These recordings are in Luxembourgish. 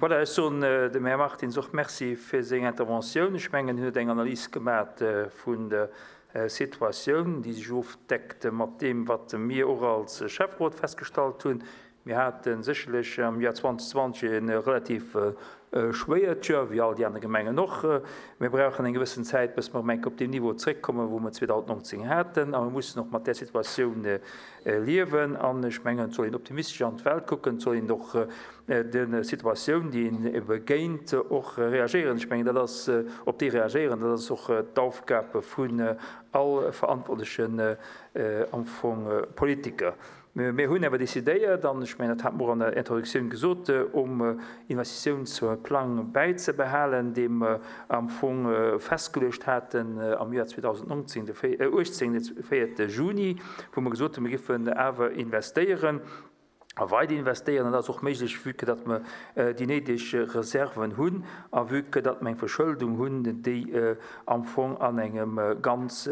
Voilà, ech soen dem Här Martins och Merci fir seng Interventioun. Ech mengen, hien huet eng Analys gemat vun der Situatioun, déi sech ofdeckt mat deem, wat mir och als Schäfferot festgestallt hunn. Mir hate sécherlech am Joer 2020 e relativ schwéiert Joer, wéi all déi aner Gemengen och. Mir brauchen eng gewëssen Zäit, bis mer erëm eng Kéier op deen Niveau zréckkommen, wou mer 2019 haten. A mir mussen och mat där Situatioun liewen. An ech mengen, et soll een optimistesch an d'Welt kucken, et soll een och de Situatioun, déi een begéint, och reagéieren. Ech mengen, dat ass, op déi reagéieren, dat ass och d'Aufgab vun all verantwortlechen am Fong Politiker. Mir hunn awer decidéiert, an ech mengen, dat hat mer och an der Introduktioun gesot, um Investitiounsplang bäizebehalen, dee mer am Fong festgeluecht haten am Joer 2019, de 18, de véierte Juni, wou mer gesot hunn, mir géifen awer investéieren a weider investéieren. An dat ass och méiglech, vue que datt mer déi néideg Reserven hunn a vue que datt mer eng Verschëldung hunn, déi am Fong an engem ganz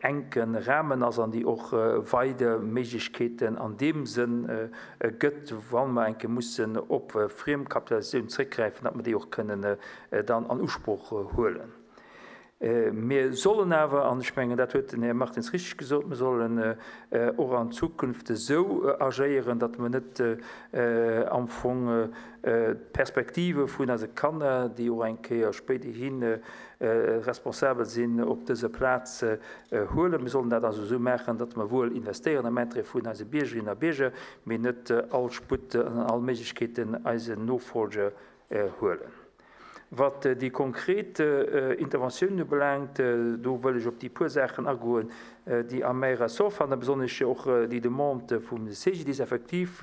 enke Rahmen ass an déi och weider Méiglechkeeten an deem Sënn gëtt, wa mer eng Kéier mussen op Friemkapitalisatioun zréckgräifen, datt mer déi och kënnen dann an Usproch huelen. Mir sollen awer, an ech mengen, dat huet den Här Martins richtig gesot, mir sollen och an Zukunft esou agéieren, datt mer net am Fong d'Perspektive vun eise Kanner, déi och eng Kéier spéiderhi responsabel sinn, op dëser Plaz huelen. Mir sollen dat also esou maachen, datt mer wuel investéieren am Intérêt vun eise Biergerinnen a Bierger, mee net all Sputt an all Méiglechkeeten eisen Nofolger huelen. Wat déi konkret Interventiounen ubelaangt, do wëll ech op déi puer Saachen agoen, déi a mäi Ressort fannen, besonnesch och déi Demande vum CGDIS. Effektiv,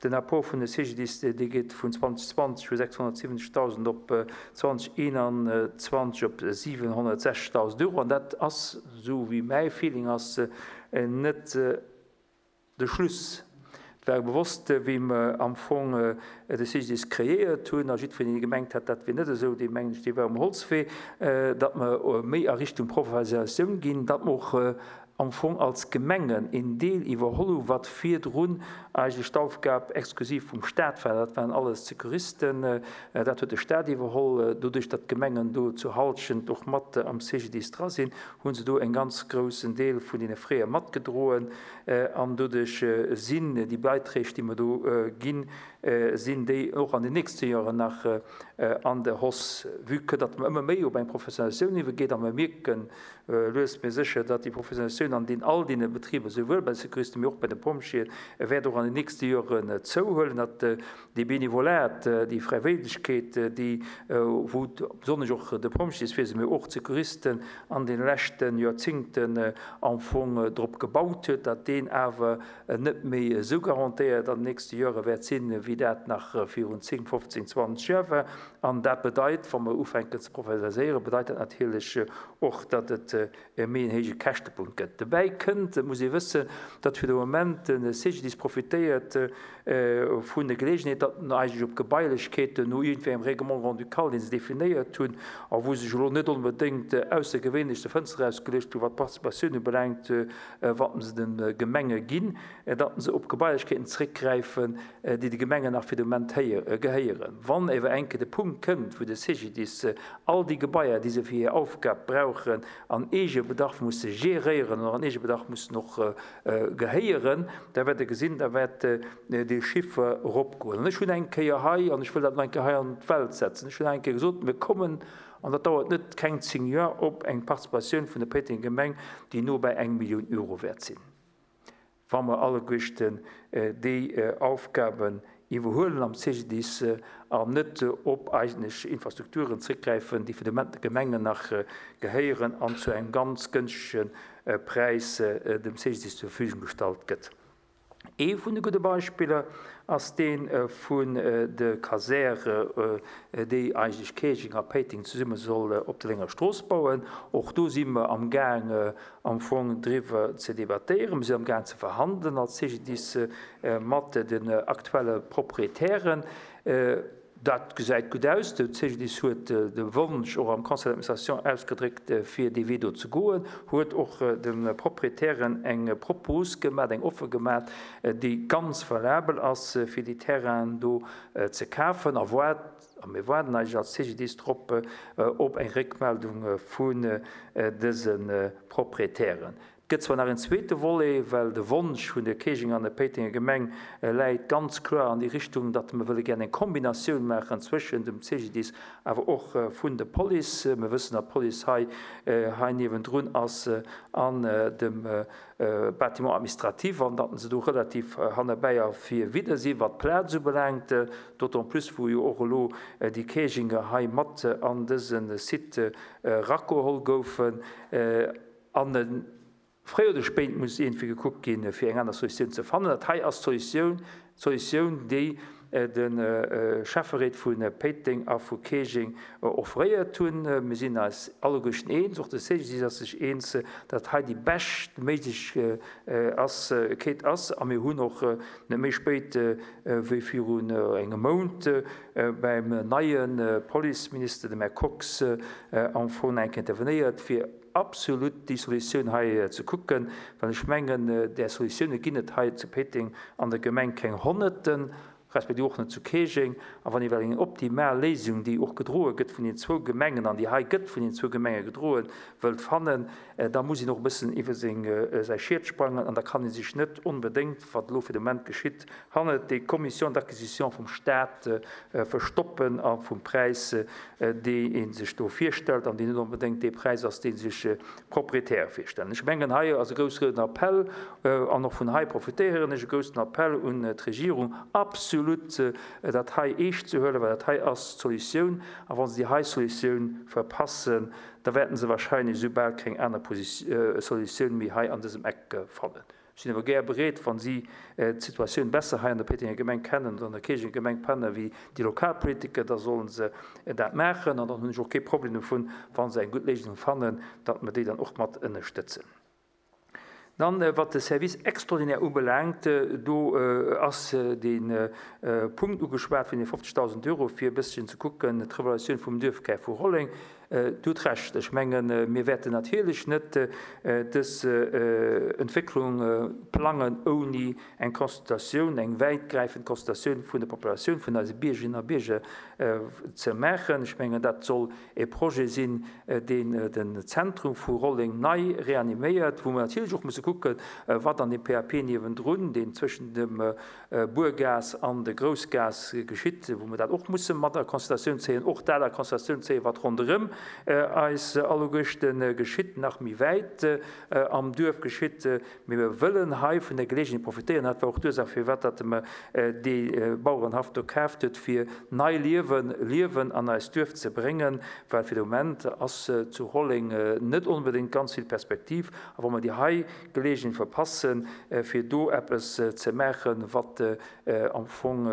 den Apport vun de CGDIS, dee geet vun 2020 vu 670.000 op 2021 op 760.000 Euro. An dat ass, esou wéi mäi Feeling ass, net de Schluss. Et war bewosst, wéi mer am Fong de CGDIS kreéiert hunn, a jiddwereen, dee gemengt hat, dat wier net esou, dee mengen ech, dee war um Holzwee, datt mer méi a Richtung Professionalisatioun ginn, datt mer och am Fong als Gemengen een Deel iwwerholl hu wat virdrun eigentlech d'Aufgab exklusiv vum Stat war. Dat waren alles Sekuristen, dat huet de Stat iwwerholl. Doduerch, datt d'Gemengen do zur Halschent och mat am CGDIS dra sinn, hu se do en ganz groussen Deel vun deene Frais matgedroen. An doduerch sinn déi Beiträg, déi mer do ginn, sinn déi och an den nächste Joren nach an der Hausse, vue que datt mer ëmmer méi op eng Professionalisatioun iwwergeet a mer mierken lues mee sécher, datt déi Professionalisatioun an deenen all deene Betriber, souwuel bei de Secouristen, mee och bei de Pompjeeën, wäert och an den nächste Joren zouhuelen, datt Dee Benevolat, déi Fräiwéilegkeet, déi, wou besonnesch och de Pompjeeswiese, mee och d'Secouristen an deene leschte Joerzingten am Fong drop gebaut huet, datt deen awer net méi esou garantéiert an den nächste Joere wäert sinn, wéi dat nach virun 10, 15, 20 Joer war. An dat bedeit, wa mer ufänken ze professionaliséieren, bedeit dat natierlech och, datt et e méi en héije Käschtepunkt gëtt. Dobäi kënnt, et muss ee wëssen, datt fir de Moment de CGDIS profitéiert vun der Geleegenheet, datt en eigentlech op Gebailechkeeten no iergendwéi engem Règlement grand-ducal, dee se definéiert hunn a wou se sech elo net onbedéngt aussergewéinlech de Fënster ausgeluecht hunn, wat d'Participatioun ubelaangt, wat se de Gemenge ginn, datt se op Gebailechkeeten zréckgräifen, déi de Gemengen nach fir de Moment gehéieren. Wann ewer eng Kéier de Punkt kënnt, wou de CGDIS all déi Gebaier, déi se fir hir Aufgab brauchen, an Eegebedarf musse geréieren oder an Eegebedarf mussen och gehéieren, da wäert Der gesinn, da wäert dee Chiffer eropgoen. An ech hunn eng Kéier hei, an ech wëll dat nach eng Kéier hei an d'Welt setzen, ech hunn eng Kéier gesot, mir kommen, an dat dauert net keng 10 Joer, op eng Participatioun vun der Péitenger Gemeng, déi no bei eng Millioun Euro wäert sinn, wa mer alleguerten déi Aufgaben iwwerhuelen am CGDIS an net op eigentlech Infrastrukturen zréckgräifen, déi fir de Moment de Gemengen nach gehéieren an zu engem ganz gënschtege Präis dem CGDIS zur Verfügung gestallt gëtt. Ee vun de gudde Beispiller ass dee vun de Kasäre, déi eigentlech Käerjeng a Péiteng zesumme soll op der Lénger Strooss bauen. Och do si mer amgaang am Fong driwwer ze debattéieren. Mir sinn amgaang ze verhandelen als CGDIS mat den aktuelle Proprietären. Dat gesäit gutt aus. De CGDIS huet de Wonsch och am Conseil d'administration ausgedréckt, fir dee Wee do ze goen, huet och de Proprietären eng Propos gemat, eng Offer gemat, déi ganz valabel ass, fir déi Terrainen do ze kafen a waart, a mir waarden eigentlech als CGDIS drop, op eng Réckmeldung vun dëse Proprietären. Et gëtt zwar nach een zweete Volet, well de Wonsch vun der Käerjenger an der Péitenger Gemeng läit ganz kloer an déi Richtung, datt mer wëlle gär eng Kombinatioun maachen zwëschen dem CGDIS awer och vun der Police. Mir wëssen, datt d'Police hei hei niewendrun ass an dem Bâtiment administratif an datt se do relativ hannerbäi a virwidder si wat d'Plaz ubelaangt, d'autant plus wou jo och elo déi Käerjenger hei mat an dëse Site erageholl goufen. An fréi oder spéit muss iergendwéi gekuckt ginn, fir eng aner Solutioun ze fannen. Dat hei ass d'Solutioun, d'Solutioun, déi de Schäfferéit vu Péiteng a vu Käerjeng offréiert hunn. Mir sinn eis alleguerten eens, och de CGDIS ass sech eens, datt hei déi bescht méiglech ass, Keet ass. A mir hunn och net méi spéit wéi virun engem Mount beim neie Policeminister, dem Här Kox, am Fong eng Kéier intervenéiert, fir absolut déi Solutioun hei ze kucken, well ech mengen, där Solutioune ginn et hei zu Péiteng an der Gemeng keng Honnerten, respektiv och net zu Käerjeng. A wann ee well eng optimal Léisung, déi och gedroe gëtt vun den zwou Gemengen an déi hei gëtt vun den zwou Gemenge gedroen, wëllt fannen, da muss een och e bëssen iwwer seng, säi Schiet sprangen an da kann ee sech net onbedéngt, wat elo fir de Moment geschitt, hannert déi Commission d'acquisition vum Stat verstoppen a vum Präis, dee ee sech do virstellt an deen net onbedéngt dee Präis ass, dee sech d'Proprietäre virstellen. Ech mengen, hei ass e groussen Appell, an och vun hei profitéieren ech, e groussen Appell un d'Regierung, absolut dat hei eescht ze huelen, well dat hei ass d'Solutioun. A wa se déi hei Solutioun verpassen, da wäerten se wahrscheinlech esou bal keng aner Solutioun méi hei an dësem Eck fannen. Ech sinn awer gär bereet, wa si d'Situatioun besser hei an der Péitenger Gemeng kennen oder an der Käerjenger Gemeng kennen wéi déi lokal Politiker, da solle se dat maachen. An dann hunn ech och kee Problem dovun, wa se eng gutt Léisung fannen, datt mer déi dann och mat ënnerstëtzen. Dann, wat de Service extraordinaire ubelaangt, do ass dee Punkt ugeschwat vun de 50.000 Euro, fir e bësschen ze kucken, d'Revaluatioun vum Duerfkär vu Rolleng. Dir hutt Recht. Ech mengen, mir wäerten natierlech net dës Entwécklung plangen ouni eng Consultatioun, eng wäitgräifend Consultatioun vun der Populatioun, vun eise Biergerinnen a Bierger ze maachen. Ech mengen, dat soll e Projet sinn, deen den Zentrum vu Rolleng nei reaniméiert, wou mer natierlech och musse kucken, wat an deem PAP niewendrun, deen zwëschen dem Buergaass an de Groussgaass geschitt, wou mer dat och musse mat a Consideratioun zéien, och dat a Consideratioun zéien, wat ronderëm eis alleguerchte geschitt, nach méi wäit am Duerf geschitt. Mee mir wëllen hei vun der Geleegenheet profitéieren, dat war och d'Ursaach, firwat datt mer dee Bauerenhaff do kaaft huet, fir nei Liewen, Liewen an eist Duerf ze bréngen, well fir de Moment ass zu Rolleng net onbedéngt ganz vill Perspektiv. A wa mer déi hei Geleegenheet verpassen, fir do eppes ze maachen, wat am Fong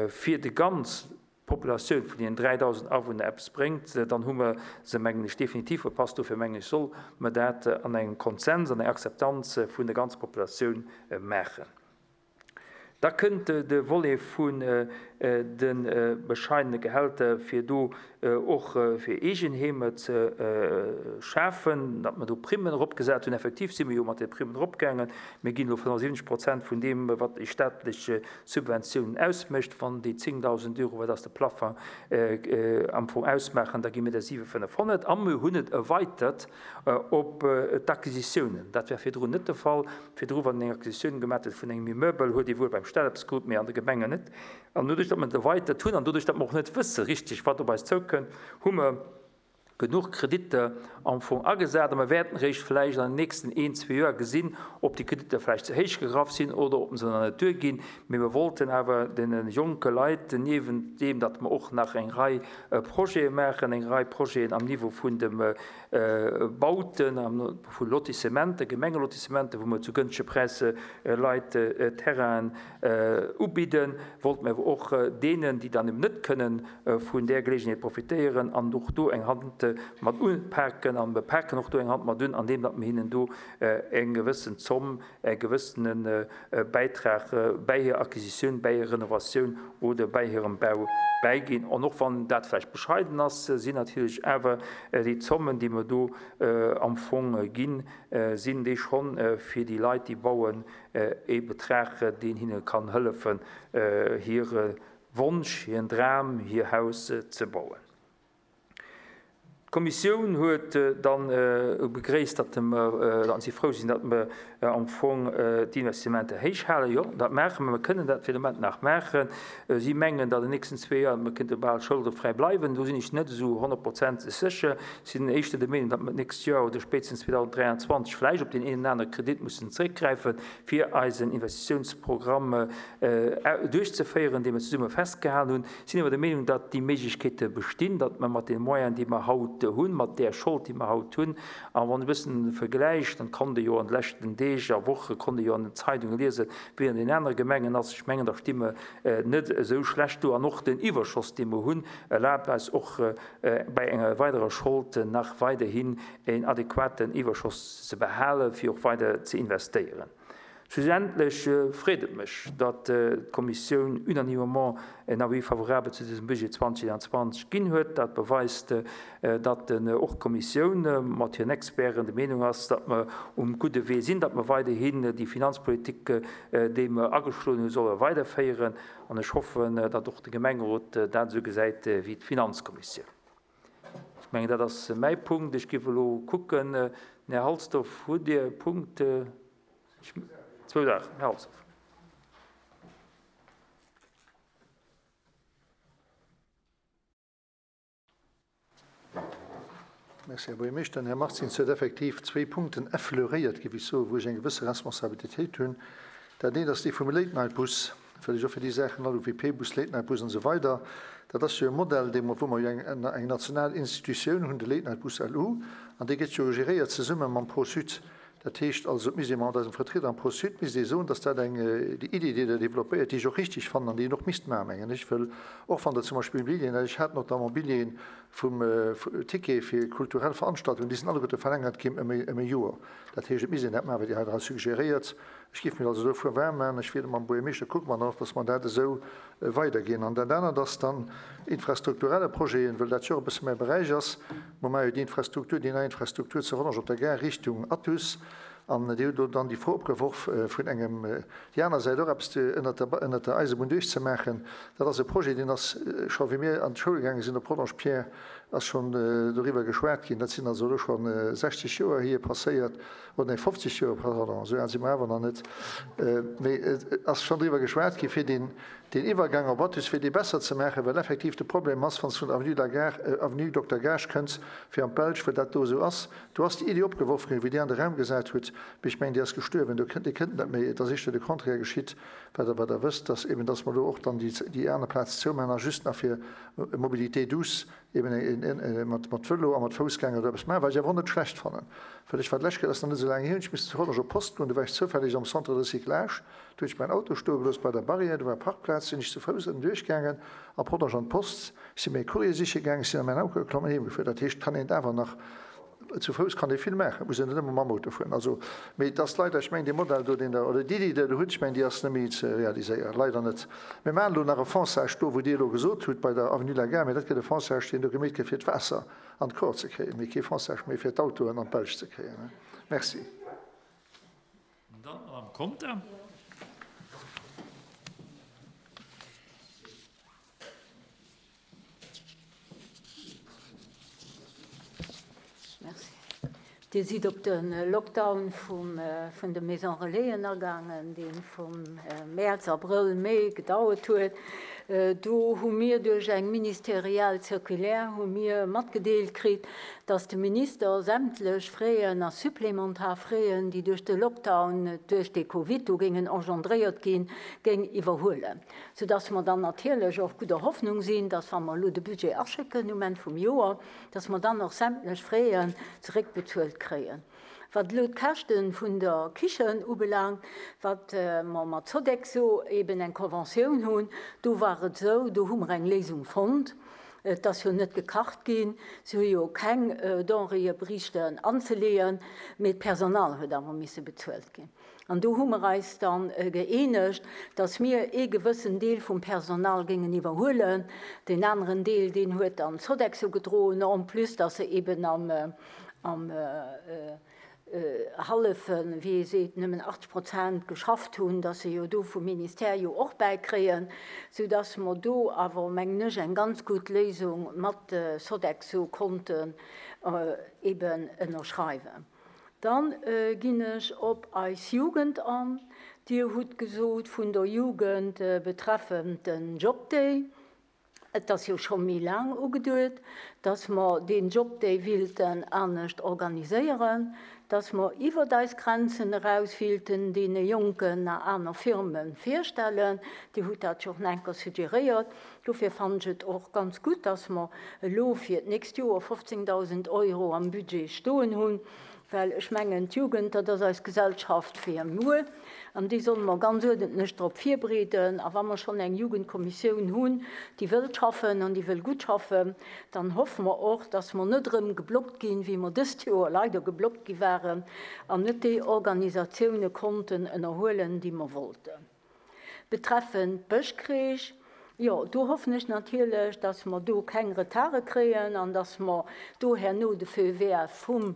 fir déi ganz Populatioun vun deenen 3.000 Awunner eppes bréngt, dann hu mer se, mengen ech, definitiv verpasst. Dofir, mengen ech, soll mer dat an engem Konsens, an enger Akzeptanz vun der ganzer Populatioun maachen. Da kënnt de Volet vun de bescheidene Gehälter, fir do och fir Eegenheemer ze schafen, datt mer do Primmen eropgesat hunn. Effektiv si mir jo mat de Primmen eropgaangen. Mir ginn elo 75 Prozent vun deem, wat déi staatlech Subventiounen ausmécht. Wann déi 10.000 Euro, wat ass de Plafang, am Fong ausmaachen, da gi mir der 7.500. A mir hunn et erweitert op d'Acquisitiounen. Dat war virdrun net de Fall. Virdru, wann een eng Acquisitioun gemaat huet vun engem Immeubel, huet ee wuel beim Staat eppes krut, mee an de Gemengen net. An doduerch, datt mer et erweitert hunn an doduerch, datt mer och net wësse richteg, wat op eis zoukënnt, hu mer genuch Kreditter am Fong agesat. A mer wäerten eréischt vläicht an den nächsten een, zwee Joer gesinn, ob déi Kreditter vläicht ze héich gegraff sinn oder ob se nach net duerginn. Mee mer wollten awer deene jonke Leit, niewent deem, datt mer och nach eng Rei Projete maachen, eng Rei Projeten am Niveau vun dem Bauten, vu Lotissementen, Gemengelotissementen, wou mer zu gënschtege Präisser Leit Terrainen ubidden, wollte mer awer och deenen, déi dann eben net kënnen vun där Geleegenheet profitéieren an och do eng Hand. mat upaken a mir paken och do eng Hand mat un, andeem datt mir hinnen do eng gewëssen Zomm, e gewëssene Bäitrag bäi hir Acquisitioun, bäi hir Renovatioun oder bäi hirem Bau bäiginn. An och wann dat vläicht bescheiden ass, sinn natierlech awer déi Zommen, déi mer do am Fong ginn, sinn déi schonn fir déi Leit, déi bauen, ee Betrag, deen hinne kann hëllefen, hire Wonsch, hiren Dram, hir Haus ze bauen. D'Kommissioun huet dann begréisst, datt mer, datt si frou sinn, datt mer am Fong d'Investissementer héich halen. Jo, dat maache mer. Mer kënnen dat fir de Moment nach maachen. Si mengen, datt an den nächsten zwee Joer mer kéinte bal scholdefräi bleiwen. Do sinn ech net esou honnertprozenteg sécher. Ech sinn éischter der Meenung, datt mer d'nächst Joer oder spéitstens 2023 vläicht op deen een oder anere Kredit mussen zeréckgräifen, fir eisen Investitiounsprogramm duerchzeféieren, dee mer zesumme festgehalen hunn. Sinn awer der Meenung, datt déi Méiglechkeete bestinn, datt mer mat deene Moyenen, déi mer haut hunn, mat där Schold, déi mer haut hunn, a wann e bëssen vergläicht, dann konnt ee jo an de leschten Deeg a Woche konnt ee jo an den Zeidunge liesen, wéi an den anere Gemengen ass. Ech mengen, da sti mer net esou schlecht do. An och den Iwwerschoss, dee mer hunn, erlaabt eis och bei enger weiderer Schold nach weiderhin en adequaten Iwwerschoss ze behalen, fir och weider ze investéieren. Schlussendlech freet et mech, datt d'Kommissioun unanimement en Avis favorable zu dësem Budget 2021 ginn huet. Dat beweist, datt och d'Kommissioun mat hiren Experten der Meenung ass, datt mer um gudde Wee sinn, datt mer weiderhin déi Finanzpolitik, déi mer ageschloen hunn, solle weiderféieren. An ech hoffen, datt och de Gemengerot dat esou gesäit wéi d'Finanzkommissioun. Ech mengen, dat ass mäi Punkt. Ech géif elo kucken, den Här Halsdorf, hutt Dir e Punkt? Zwou Saachen, Här Halsdorf. Merci, Här Buergermeeschter. Den Här Martins huet effektiv zwéi Punkten effleuréiert, géif ech soen, wou ech eng gewësse Responsabilitéit hunn. Dat eent ass dee vum Late-Night-Bus, wëll ech och fir déi Saachen all, UVP-Bus, Late-Night-Bus an esou weider, dat ass jo e Modell, dee mer, wou mer jo eng, eng national Institutioun hunn, de Late-Night-Bus LU, an dee gëtt jo geréiert zesumme mam Pro-Sud. Dat heescht also, et misst ee mat eisem Vertrieder am Pro-Sud misst ee soen, dass dat eng, déi Idee, déi Der développéiert, déi ech och richtig fannen an déi een och misst maachen, mengen ech, wëll och wann Der zum Beispill Immobilien, ech hat notamment Billjeeën vum Ticket fir kulturell Veranstaltungen, déi sinn alleguerte verlängert ginn ëm e Joer. Dat heescht, et misst een dat maachen, wat Dir hei dra suggeréiert. Ech géif mech also dofir waarm maachen. Ech wier mam Buergermeeschter, kucke mer dann och, dass mer dat esou weiderginn. An dat anert ass dann infrastrukturelle Projeten, wëll dat jo och e bësse mäi Beräich ass. Mer maache jo déi Infrastruktur, déi nei Infrastruktur zu Rodange op der Gare Richtung Athus. An Dir hutt elo dann déi Fro opgeworf vun engem, déi aner Säit och eppes ënnert der, ënnert der Eisebunn duerchzemaachen. Dat ass e Projet, deen ass scho wéi mir an d'Schoul gaange sinn op Rodange, Pierre, ass schonn doriwwer geschwat ginn. Dat sinn also elo scho 60 Joer hier passéiert, oder nee, 50 Joer, pardon, esou al si mer awer nach net, mee et ass schonn driwwer geschwat gi fir deen, Deen Iwwergang op Athus fir dee besser ze maachen, well effektiv de Problem ass, wann s de vun der Avenue de la Gare, Avenue Dokter Gaasch kënns fir an d'Belsch, well dat do esou ass. Do ass déi Iddi opgeworf ginn, wéi Dir an de Raum gesat hutt, mee ech mengen, déi ass gestuerwen. Do kënnt, Dir kënnt net méi, et ass éischter de Contraire geschitt, wat Der, wat Der wësst, dass eben, dass mer do och dann déi, déi aner Plaz zoumaachen a just nach fir Mobilité douce eben mat, mat Vëlo a mat Foussgänger do eppes maachen, wat ech awer och net schlecht fannen, well ech war d'lescht Kéier, dat ass nach net esou laang hier, hunn ech missen zu Rodange op d'Post goen, do war ech zoufälleg am Centre de recyclage, Do hunn ech mäin Auto stoe gelooss bei der Barrière, do war Parkplaz, sinn ech zu Fouss ënnen duerchgaangen a Podersch an d'Post, ech si mir e Courrier siche gaangen, ech sinn a mäin Auto geklomm an heem gefuer. Dat heescht, et kann een et awer nach, zu Fouss kann ee vill maachen, et muss een net ëmmer mam Auto fueren. Also, mee et ass leider, ech mengen dee Modell do, deen Der, oder d'Iddi, déi Der do hutt, ech mengen déi ass net méi ze realiséieren, leider net. Mir maachen elo nach e Fonçage do, wou Dir elo gesot hutt, bei der Avenue de la Gare, mee dat gëtt e Fonçage, deen do gemeet gëtt fir d'Waasser an d'Kor ze kréien, mee kee Fonçage méi fir d'Autoen an d'Belsch ze kréien. Merci. Dann d'Madame Conter. Merci. Dir sidd op de Lockdown vun de Maison Relaisen agaangen, dee vum Mäerz, Abrëll, Mee gedauert huet. Do hu mir duerch eng ministeriell Circulaire hu mir matgedeelt kritt, dass de Minister sämtlech Fräen a supplementar Fräen, déi duerch de Lockdown, duerch de Covid do géingen engendréiert ginn, géing iwwerhuelen, soudass mer dann natierlech och gudder Hoffnung sinn, dass, wa mer elo de Budget aschécken um Enn vum Joer, dass mer dann och sämtlech Fräen zeréckbezuelt kréien. Wat elo d'Käschte vun der Kichen ubelaangt, wat mer mat Sodexo eben eng Conventioun hunn, do war et esou, do hu mer eng Léisung fonnt. Et ass jo net gekacht ginn, se hu jo keng Denréeë beriichten anzeleeën, mee d'Personal huet awer misse bezuelt ginn. An do hu mer eis da gëeenegt, dass mir ee gewëssen Deel vum Personal géingen iwwerhuelen. Deen aneren Deel, deen huet dann d'Sodexo gedroen, en plus dass se eben am, am, Hallefen, wéi ee seet, nëmmen 80 Prozent geschafft hunn, dass se jo do vum Ministère jo och bäikréien, soudass mer do awer, mengen ech, eng ganz gutt Léisung mat Sodexo konnten eben ënnerschreiwen. Da ginn ech op eis Jugend an. Dir hutt gesot vun der Jugend betreffend den Jobday. Et ass jo scho méi laang ugeduet, dass mer deen Jobday wilten anescht organiséieren, dass mer iwwert eis Grenzen eraus wilten deene Jonken nach aner Firme virstellen. Dir hutt dat jo och nach eng Kéier suggeréiert. Dofir fannen ech et och ganz gutt, dass mer elo fir d'nächst Joer 15.000 Euro am Budget stoen hunn, Well ech mengen, d'Jugend, dat ass eis Gesellschaft fir muer, an déi solle mer ganz uerdentlech drop virbereeden. A wa mer schonn eng Jugendkommissioun hunn, déi wëllt schaffen an déi wëll gutt schaffen, dann hoffe mer och, dass mer net erëm geblockt ginn, wéi mer dëst Joer leider geblockt gi waren, an net déi Organisatioune konnten ënnerhuelen, déi mer wollten. Betreffend d'Bëschkreech, jo, do hoffen ech natierlech, dass mer do keng Retarde kréien an dass mer do herno de Feu vert vum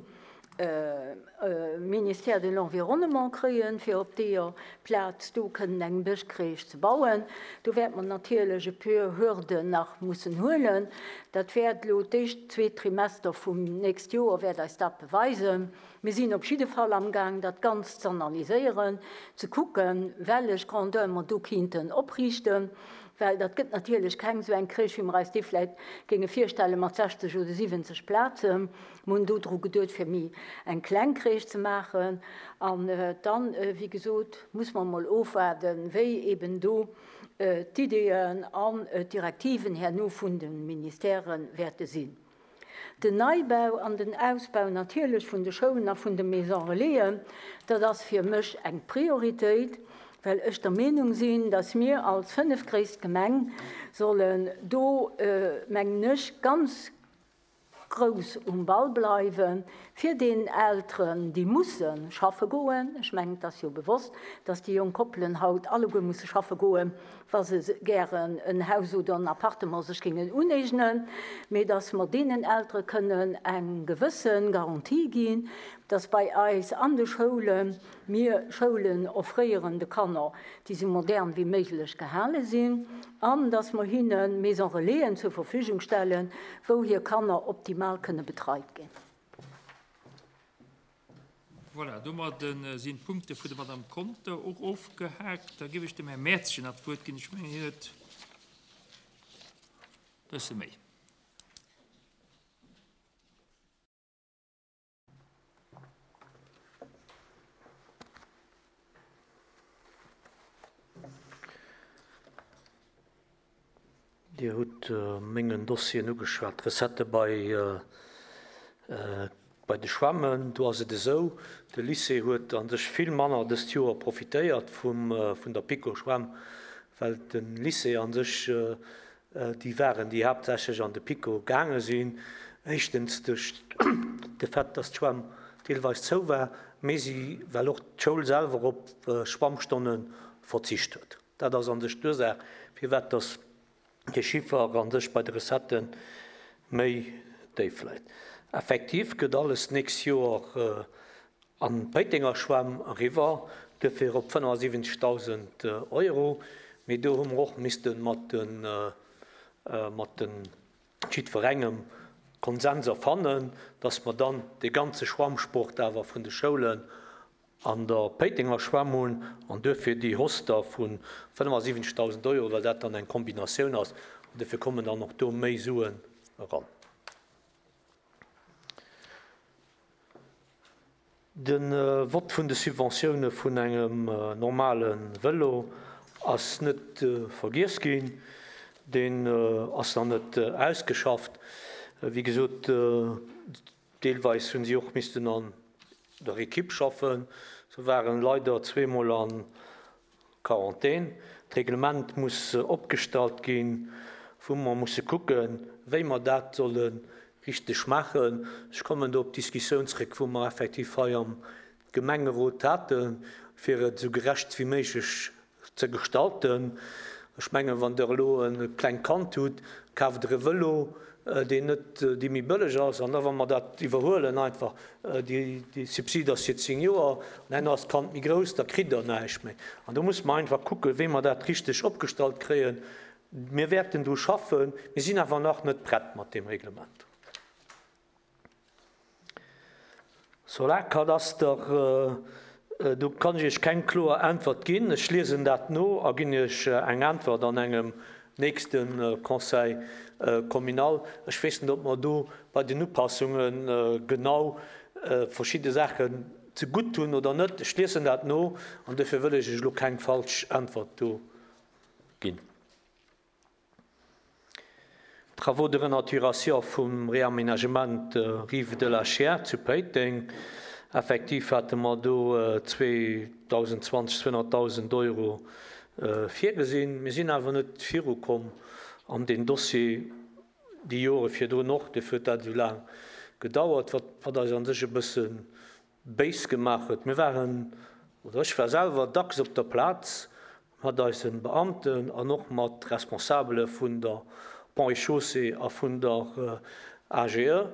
Ministère de l'Environnement kréien, fir op deeër Plaz do kënnen eng Bëschkreech ze bauen. Do wäerte mer natierlech e puer Hürden nach mussen huelen. Dat wäert elo d'éischt zweet Trimester vum nächst Joer wäert eis dat beweisen. Mir sinn op jidde Fall amgaang, dat Ganzt z'analyséieren, ze kucken, wellech Grandeur mer do kinnten opriichten, well dat gëtt natierlech keng esou eng Crèche, wéi mer eis déi vläicht géinge virstelle mat 60 oder 70 Plazen. Mer hunn do dru geduet, fir méi eng kleng Crèche ze maachen. An dann, wéi gesot, muss mer emol ofwaarden, wéi eben do d'Ideeën an d'Direktiven herno vun de Ministèrë wäerte sinn. Den Neibau an den Ausbau natierlech vun de Schoulen a vun de Maisons Relaisen, dat ass fir mech eng Prioritéit, well ech der Meenung sinn, dass mir als fënnefgréisst Gemeng sollen do, mengen ech, ganz grouss um Ball bleiwen, fir deenen Elteren, déi musse schaffe goen, ech mengen, et ass jo bewosst, dass déi jonk Koppelen haut alleguer musse schaffe goen, wa se gären en Haus oder en Appartement sech géingen uneegnen, mee dass mer deenen Eltere kënnen eng gewësse Garantie ginn, dass bei eis an de Schoule mir Schoulen offréieren de Kanner, déi esou modern wéi méiglech gehale sinn, an dass mer hinne Maison relaisen zur Verfügung stellen, wou hir Kanner optimal kënne betreit ginn. Voilà, domadde sinn d'Punkte vun der Madame Conter och ofgehaakt. Da géif ech dem Här Mertzchen nach d'Wuert ginn. Ech mengen, hien huet e bësse méi. Dir hutt mengen Dossieren ugeschwat, d'Recettë bei bei de Schwämmen. Do ass et esou, de Lycée huet a sech vill manner dëst Joer profitéiert vum vun der PiKo-Schwämm, well de Lycée a sech déi waren, déi haaptsächlech an de PiKo gaange sinn, éischtens duerch de Fait, dass d'Schwämm deelweis zou war, mee si well och d'Schoul selwer op Schwammstonne verzicht huet. Dat ass a sech d'Ursaach, firwat dass dee Chiffer a sech bei de Recettë méi déif läit. Effektiv gëtt alles d'nächst Joer an d'Péitenger Schwämm eriwwer, duerfir op 75.000 Euro. Mee do hu mer och misste mat de mat de jiddwerengem Konsens erfannen, dass mer dann dee ganze Schwammsport awer vun de Schoulen an der Péitenger Schwämm hunn an duerfir déi Hausse da vu 75.000 Euro, well dat dann eng Kombinatioun ass an duerfir kommen dann och do méi Suen eran. De Vott vun de Subventioune vun engem normale Vëlo ass net vergiess ginn. Deen ass nach net ausgeschafft. Wéi gesot, deelweis hunn si och missten an der Ekipp schaffen. Se waren leider zweemol a Quarantän. D'Reglement muss opgestallt gi. Wou mer musse kucken, wéi mer dat solle richteg maachen. Ech kommen do op d'Diskussioun zréck, wou mer effektiv hei am Gemengerot haten, fir et esou gerecht wéi méiglech ze gestalten. Ech mengen, wann Der elo e klengt Kand hutt, kaaft Der e Vëlo, deen net, dee méi bëlleg ass. An da wa mer dat iwwerhuelen einfach, déi Subsid ass fir 10 Joer, an herno ass d'Kand méi grouss, da kritt Der näischt méi. An do musse mer einfach kucken, wéi mer dat richteg opgestallt kréien. Mir wäerten dru schaffen, mir sinn awer nach net prett mat deem Reglement. Solarkadaster, do kann ech Iech keng kloer Äntwert ginn. Ech liesen dat no a ginn Iech eng Äntwert an engem nächste Conseil communal. Ech weess net, ob mer do bei den Upassunge genau verschidde Saachen zegutt hunn oder net. Ech liesen dat no an dofir wëll ech Iech elo keng falsch Äntwert do ginn. Travaux de renaturation vum Réaménagement Rives de la Chiers zu Péiteng. Effektiv hate mer do 2020 200.000 Euro virgesinn. Mir sinn awer net virukomm an deen Dossier déi Jore virdrun och. Dofir huet dat esou laang gedauert, wat eis a sech e bësse béis gemaach huet. Mir waren, oder ech war selwer dacks op der Plaz mat eise Beamten an och mat Responsabele vun der Ponts et Chaussées a vun der AGE.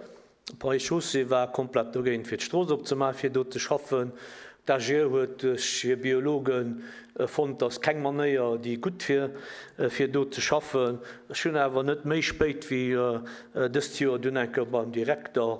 Ponts et Chaussées war komplett dogéint fir d'Strooss opzemaachen, fir do ze schaffen. D'AGE huet duerch hir Biologe fonnt, dass keng Manéier déi gutt wier fir do ze schaffen. Ech hunn awer net méi spéit wéi dëst Joer dunn eng Kéier beim Direkter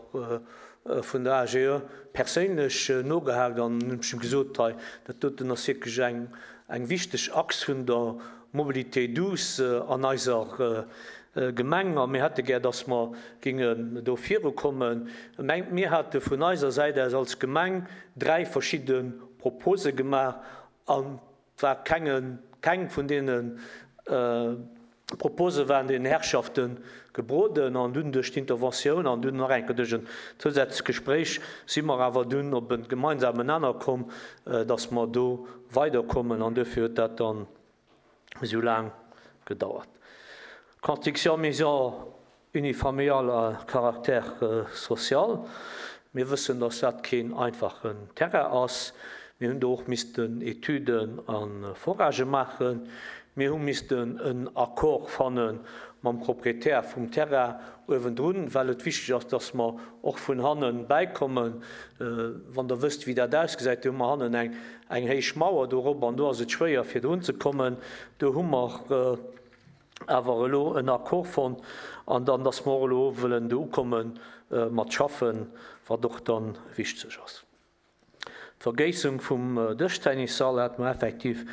vun der AGE perséinlech nogehaakt an hunn ech him gesot, hei dat doten ass wierklech eng eng wichteg Achs vun der Mobilité douce an eiser Gemeng a mir hätte gär, dass mer géingen do virukommen. Mä mir hate vun eiser Säit aus als Gemeng 3 verschidde Propose gemaach an Et war kenge, keng vun deene Propose waren den Herrschafte gebroden an dunn duerch d'Interventioun an dunn nach eng Kéier duerch en zousätzlecht Gespréich si mer awer dunn op e gemeinsamen Nenner komm, dass mer do weiderkommen an duerfir huet dat dann esou laang gedauert. Construction maison unifamiliale à caractère social. Mir wëssen, dass dat keen einfachen Terrain ass. Mir hunn do och missten Etüden a Foragë maachen. Mir hu missten en Accord fanne mam Proprietär vum Terrain uewendrun, well et wichteg ass, dass mer och vun hanne bäikommen. Wann Der wësst, wéi dat ausgesäit, do hu mer hannen eng héich Mauer dorop an do ass et schwéier, fir drunzekommen. Do hu mer awer elo en Accord fonnt an dann, dass mer och elo wëllen do ukomme mat schaffen, wat och da wichteg ass. D'Vergéissung vum Dëschtennissall hate mer effektiv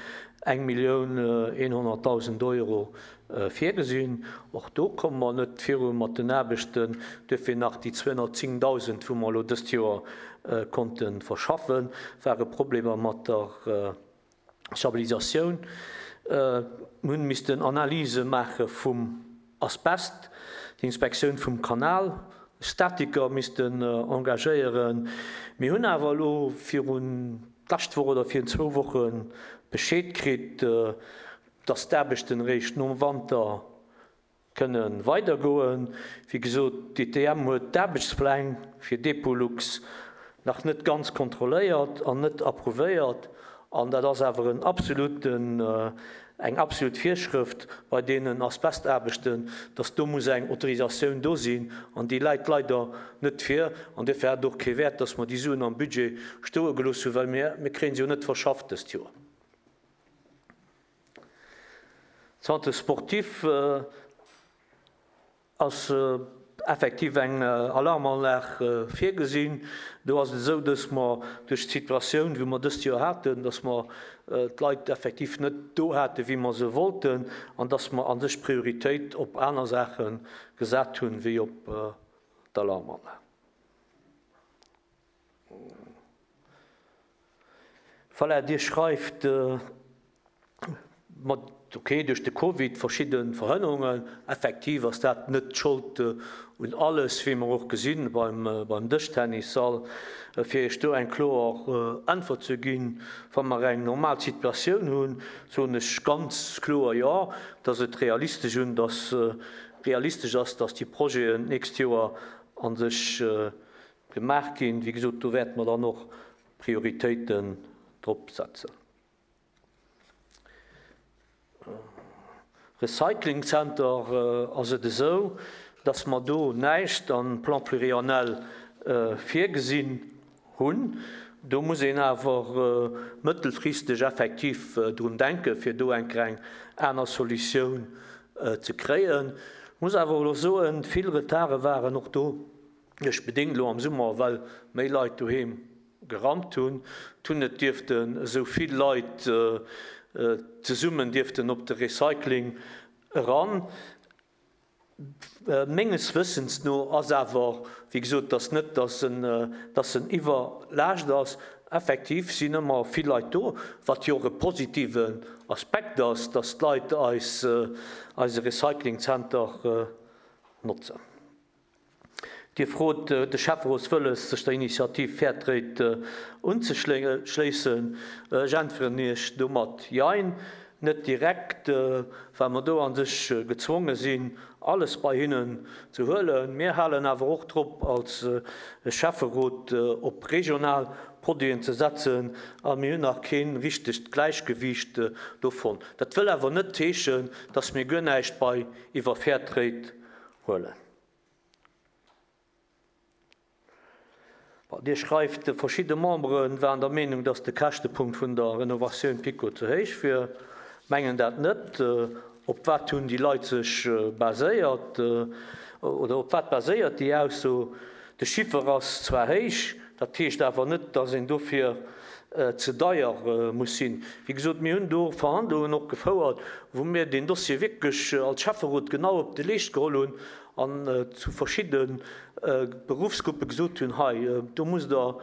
1.100.000 Euro virgesinn. Och do komme mer net viru mat den Aarbechten. Duerfir nach déi 210.000, wou mer elo dëst Joer konnte verschaffen, ware Problemer mat der Stabilisatioun. Mir hunn missten Analyse maache vum Asbest, d'Inspektioun vum Kanal, Statiker missten engagéieren. Mir hunn awer elo virun d'lescht Woch oder virun zwou Woche Bescheed kritt, dass d'Aarbechten eréischt nom Wanter Kënne weidergoen. Wéi gesot, d'ITM huet d'Aarbechtspläng fir Depolux nach net ganz kontrolléiert an net approuvéiert. An dat ass awer en absoluten, eng absolut Virschrëft bei deenen Asbestaarbechten, dass do muss eng Autorisatioun do sinn. An déi läit leider net vir. An duerfir hat et och kee Wäert, dass mer déi Suen am Budget stoe gelooss hunn, well mir, mir kréie se jo net verschafft dëst Joer. Centre sportif ass effektiv eng Alarmanlag virgesinn. Do ass et esou, dass mer duerch d'Situatioun, wou mer dëst Joer haten, dass mer d'Leit effektiv net do hate wéi mer se wollten an dass mer a sech d'Prioritéit op aner Saache gesat hunn, wéi op d'Alarmanlag. Voilà, Dir schreift, ma. Ok, duerch de Covid verschidde Verhënnerungen. Effektiv ass dat net d'Schold un alles, wéi mer och gesinn beim Dëschtennissall. Fir Iech do eng kloer Äntwert ze ginn, Wa mer eng normal Situatioun hunn, soen ech ganz kloer Jo, dass et realistesch un, dass realistesch ass, dass déi Projeten d'nächst Joer a sech gemaach ginn. Wéi gesot, do wäerte mer dann och Prioritéiten drop setzen. Recycling Center ass et esou, dass mer do näischt am Plan pluriannel virgesinn hunn. Do muss een awer mëttelfristeg effektiv drun denken, fir do eng kleng aner Solutioun ze kréien. Ech muss awer elo soen, vill Retarde waren och do duerch bedéngt elo am Summer, well méi Leit doheem gerammt hunn. Et hunn net dierften esou vill Leit zesummen dierften op de Recycling eran. Menges Wëssens no ass awer, wéi gesot, dass net, dass en, dass en iwwerlaascht ass. Effektiv sinn ëmmer vill Leit do, wat jo och e positiven Aspekt ass, dass d'Leit eis, eise Recyclingzenter notzen. Dir frot de Schäfferot wëlles, sech der Initiativ Fairtrade unzeschléissen. Ech äntweren Iech domat Jein. Net direkt, well mer do a sech gezwonge sinn, alles bei hinnen ze huelen. Mir halen awer och drop, als Schäfferot op regional Produiten ze setzen a mir hunn nach kee richtegt Gläichgewiicht do fonnt. Dat wëll awer net heeschen, dass mir guer näischt bei iwwer Fairtrade huelen. Dir schreift, verschidde Membere waren der Meenung, datt de Käschtepunkt vun der Renovatioun PiKo ze héich wier. Mengen dat net. Op wat hunn déi Leit sech baséiert? Oder op wat baséiert déi Ausso? De Chiffer ass zwar héich, dat heescht awer net, datt een dofir ze deier muss sinn. Wéi gesot, mir hunn do Verhandlungen och gefouert, wou mir deen Dossier wierklech als Schäfferot genau op de Leescht geholl hunn an zu verschidde Beruffsgruppe gesot hunn, hei, do musst Der,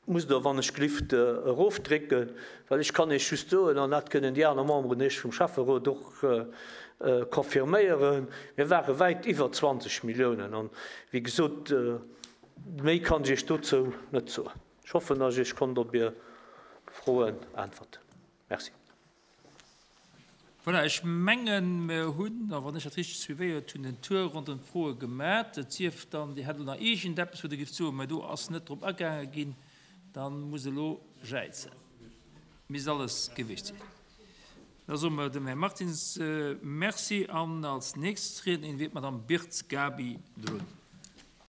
musst Der wann ech glift erofdrécken, well ech kann Iech just soen, an dat kënnen déi aner Memberen Iech vum Schäfferot och confirméieren, mir ware wäit iwwer 20 Milliounen. An, wéi gesot, méi kann ech Iech dozou net soen. Ech hoffen, dass ech konnt op Är Froen äntwerten. Merci. Voilà, ech mengen, mer hunn, a wann ech dat richteg suivéiert hunn, den Tour ronderëm d'Froe gemat. Et sief dann, Dir hätt elo nach iergendeppes, wou Dir géift soen, mä do ass net drop agaange ginn, da musst elo jäizen. Misst alles gewiescht sinn. Da soe mer dem Här Martins Merci an als nächst Riednerin wier d'Madame Birtz Gaby drun.